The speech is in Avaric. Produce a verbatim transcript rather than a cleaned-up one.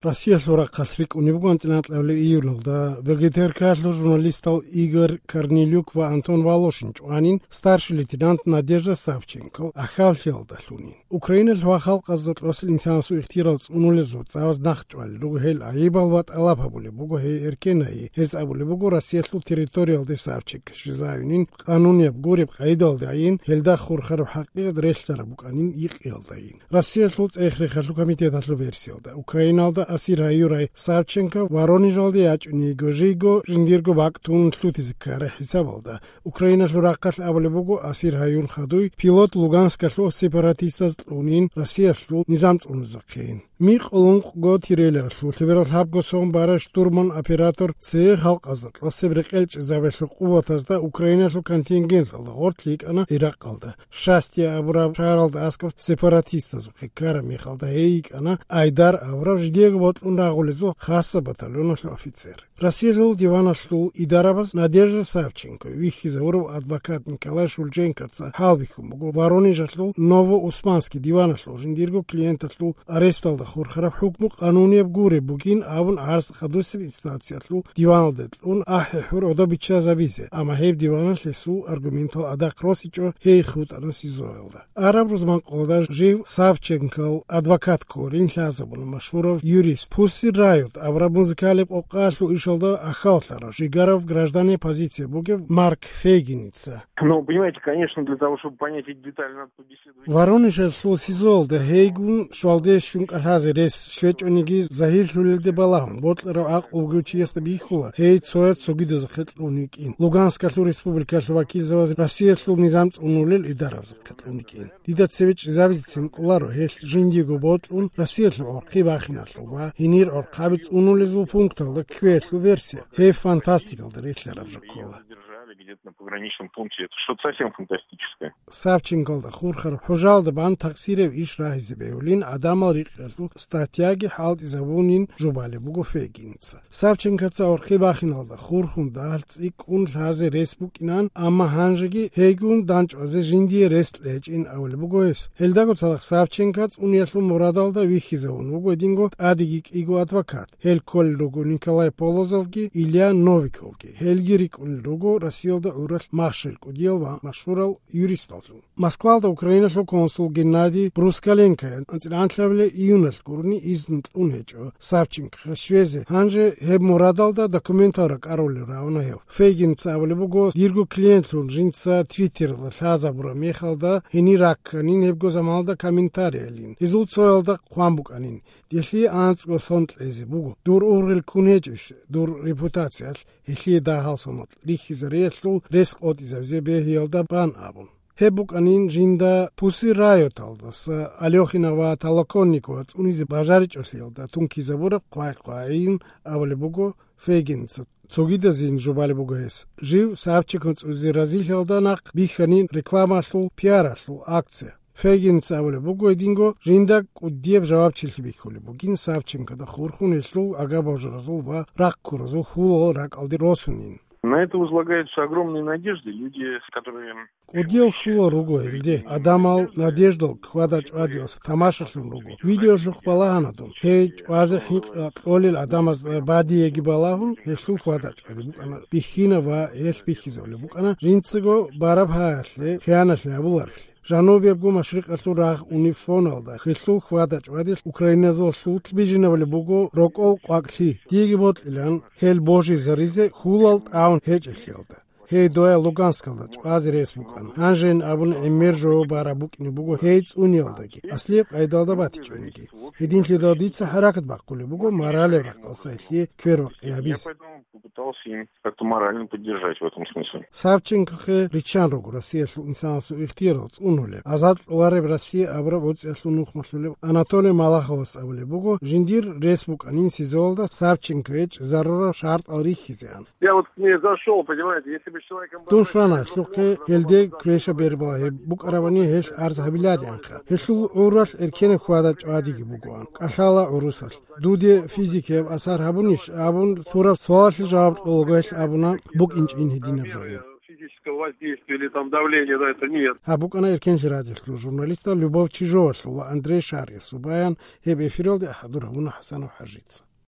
Россиялъул рахъалъ рикӀкӀунеб буго анцӀила анкьабилеб июлалда ВГТРК-ялъул журналистал Игорь Корнелюк ва Антон Волошин чӀванин старший лейтенант Надежда Савченко ахьаллъиялдалъунин. Украиналъ ва халкъазда кьосел инсанасул ихтиярал цӀунулезул цӀалаз нахъ чӀвалел руго гьел гӀайибал ва тӀалаб гьабулеб буго гьей эркенайи. Гьез абулеб буго Россиялъул территориялде Савченко щвезаюнин, къанунияб гуреб къайдалдайин, гьелда хурхараб хӀакъикъат релълъараб букӀанин йикъиялдайин. Россиялъул цӀех-рехалъул комитеталъул версиялда, Украиналда асир гьаюрай Савченко Воронежалде ячӀунего жийго жиндирго бакӀ тун лъутизе ккарай хӀисабалда, Украиналъул рахъалъ абулеб буго асир гьаюн хадуй пилот Луганскалъул сепаратистаз кьунин Россиялъул низам цӀунезехъин. Микъ лункъго тирелалъул лъеберал лъабго сон барай штурман оператор цее халкъазда кьосеб рекъел чӀезабиялъул къуватазда Украиналъул контингенталда гъорлъ йикӀана Иракъалда. Шастия абураб шагьаралда аскӀоб сепаратистазухъе ккараб мехалда гьей йикӀана Айдар абурав жидеего бокьун рагъулезул хасаб батальоналъул офицер. Россиялъул диваналъул идарабаз Надежда Савченко вихьизавурав адвокат Николай Шульженкоца хӀалбихьун буго Воронежалъул Новоусманский диваналъул жиндирго клиенталъул аресталда хурхараб хӀукму къанунияб гуреб бугин абун гӀарз хадусеб инстанциялъул диваналде кьун ахӀи-хӀур гӀодобиччазабизе, амма гьеб диваналъ гьесул аргументал адахъ росичӀо гьей хутӀана СИЗО-ялда. Араб рузманкъоялда жив Савченкол адвокат кколин лъазабуна машгьурав юрист, Pussy Riot абураб музыкалияб къокъаялъул ишалда ахьаллъарав, жигарав гражданияй позиция бугев Марк Фейгиница. Ну, понимаете, конечно, для того, чтобы понять эти детали, надо побеседовать. Воронежалъул СИЗО-ялда гьейгун щвалде щун кӀалъазе рес щвечӀониги загьирлъулелде балагьун, бокьарав гӀакълу бугев чиясда бихьула, гьей цояз цогидазухъе кьун йикӀин. Луганскалъул республикалъул вакилзабаз Россиялъул низам цӀунулел идарабазухъе кьун йикӀин. Дида цеве чӀезабицин кӀоларо гьелъ жиндиего бокьун Россиялъул гӀорхъи бахиналъул ва гьенир гӀорхъаби цӀунулезул пункталда кквеялъул версия. Гьеб фантастикалда релълъараб жо ккола. Держали где-то на пограничном пункте. Это что-то совсем фантастическое. Савченколда хурхараб хӀужалда бан такъсираб иш рагьизе бегьулин гӀадамал рикъиялъул статьяги хӀалтӀизабунин жубалеб буго Фейгинца. Савченкоца гӀорхъи бахиналда хурхун дагьал цӀикӀкӀун лъазе рес букӀинан, амма гьанжеги гьейгун данчӀвазе жиндие рес кьечӀин абулеб буго гьес. Гьелдаго цадахъ Савченко цӀуниялъул мурадалда вихьизавун вуго гьединго тӀадеги кӀиго адвокат. Гьел кколел руго Николай Полозовги Илья Новиковги. Гьелги рикӀкӀунел руго Россиялда гӀуралъ махщел кӀудиял ва машгьурал юристаллъун. Москвалда Украиналъул консул Геннадий Брускаленкоян анцӀила анлъабилеб июналъ гурони изну кьун гьечӀо Савченкохъе щвезе. Гьанже гьеб мурадалда документал ракӀарулел равна гьев. Фейгинца абулеб буго, дирго клиентлъун жинца Твиттералда лъазабураб мехалда гьенир ракканин гьебго заманалда комментариялин. Гьезул цоялда хъван букӀанин: «Делъие анцӀго сон кьезе буго. Дур ургъел ккун гьечӀищ дур репутациялъ, гьелъие дагьал соналъ рихьизариялъул рес къотӀизабизе бегьиялда бан», абун. Гьеб букӀанин жинда Pussy Riot-алдаса Алёхина ва Толоконникова цӀунизе бажаричӀолъиялда тункизабураб хъвай-хъвайин абулеб буго Фейгинца. Цогидазин жубалеб буго гьес. Жив Савченко цӀунизе разилъиялда нахъ бихьанин рекламалъул, пиаралъул акция. Фейгинца абулеб буго гьединго, жинда кӀудияб жавабчилъи бихьулеб бугин Савченкода хурхун гьелъул агабожаразул ва рахъ ккуразул хьулал ракӀалде росунин. На это возлагаются огромные надежды. Люди, которые... КӀудиял хьулал руго гьелде. Гьадамал надеждал хьвада-чӀвадиялъ тамашалъун руго. Видеолъухъ балагьана дун. Гьей чӀвазе хӀинкъи кьолел гӀадамаз бадиеги балагьун, гьелъул хьвада-чӀвади букӀана бихьинаб ва гьелъ бихьизабулеб букӀана жинцаго бараб гьаялъе хияналъи гьабуларевлъи. Жанубиябго машрикъалъул рагъ унеб фоналда, гьелъул хьвада-чӀвадилъ украиназулъулъ бижинабулеб буго рокӀол къвакӀлъи. Диеги бокьилан гьел божизаризе хьулал тӀагӀун гьечӀелъиялда. Гьей доял Луганскалда чӀвазе рес букӀана. Гьанжейин абун гӀемер жо бараб букӀине буго гьей цӀуниялдаги, аслияб къайдалда батичӀониги. Гьединлъидал дица хӀаракат бахъулеб буго моралеб рахъалъ гьелъие квербакъи гьабизе. Я поэтому попытался им как-то морально поддержать в этом смысле. Савченкохъе риччан руго Россиялъул инсанасул ихтиярал цӀунулеб, азад кьолареб Россия абураб гӀуцӀиялъул нухмалъулеб Анатолий Малаховас абулеб буго, жиндир рес букӀанин СИЗО-ялда Савченкое чӀезарурал шартӀал рихьизеан. Я вот к ней зашёл, понимаете, если бы с человеком... Дун щвана гьелъухъе, гьелде квеша бербала гьеб букӀарабани гьелъ арз гьабиларианха. Гьелъул гӀуралъ эркенаб хьвада-чӀвадиги бугоан, кӀалъала гӀурусалъ. Дуде физикияб асар гьабунищ абун лъураб суалалъе жаваб кьолаго гьелъ абуна, букӀинчӀин гьединаб жоги. Действия или там давления на это нет. Гьаб букӀана Эркенлъи радиолъул журналистал Любовь Чижовалъул ва Андрей Шариясул баян, гьеб эфиралде хӀадур гьабуна ХӀасанов ХӀажица.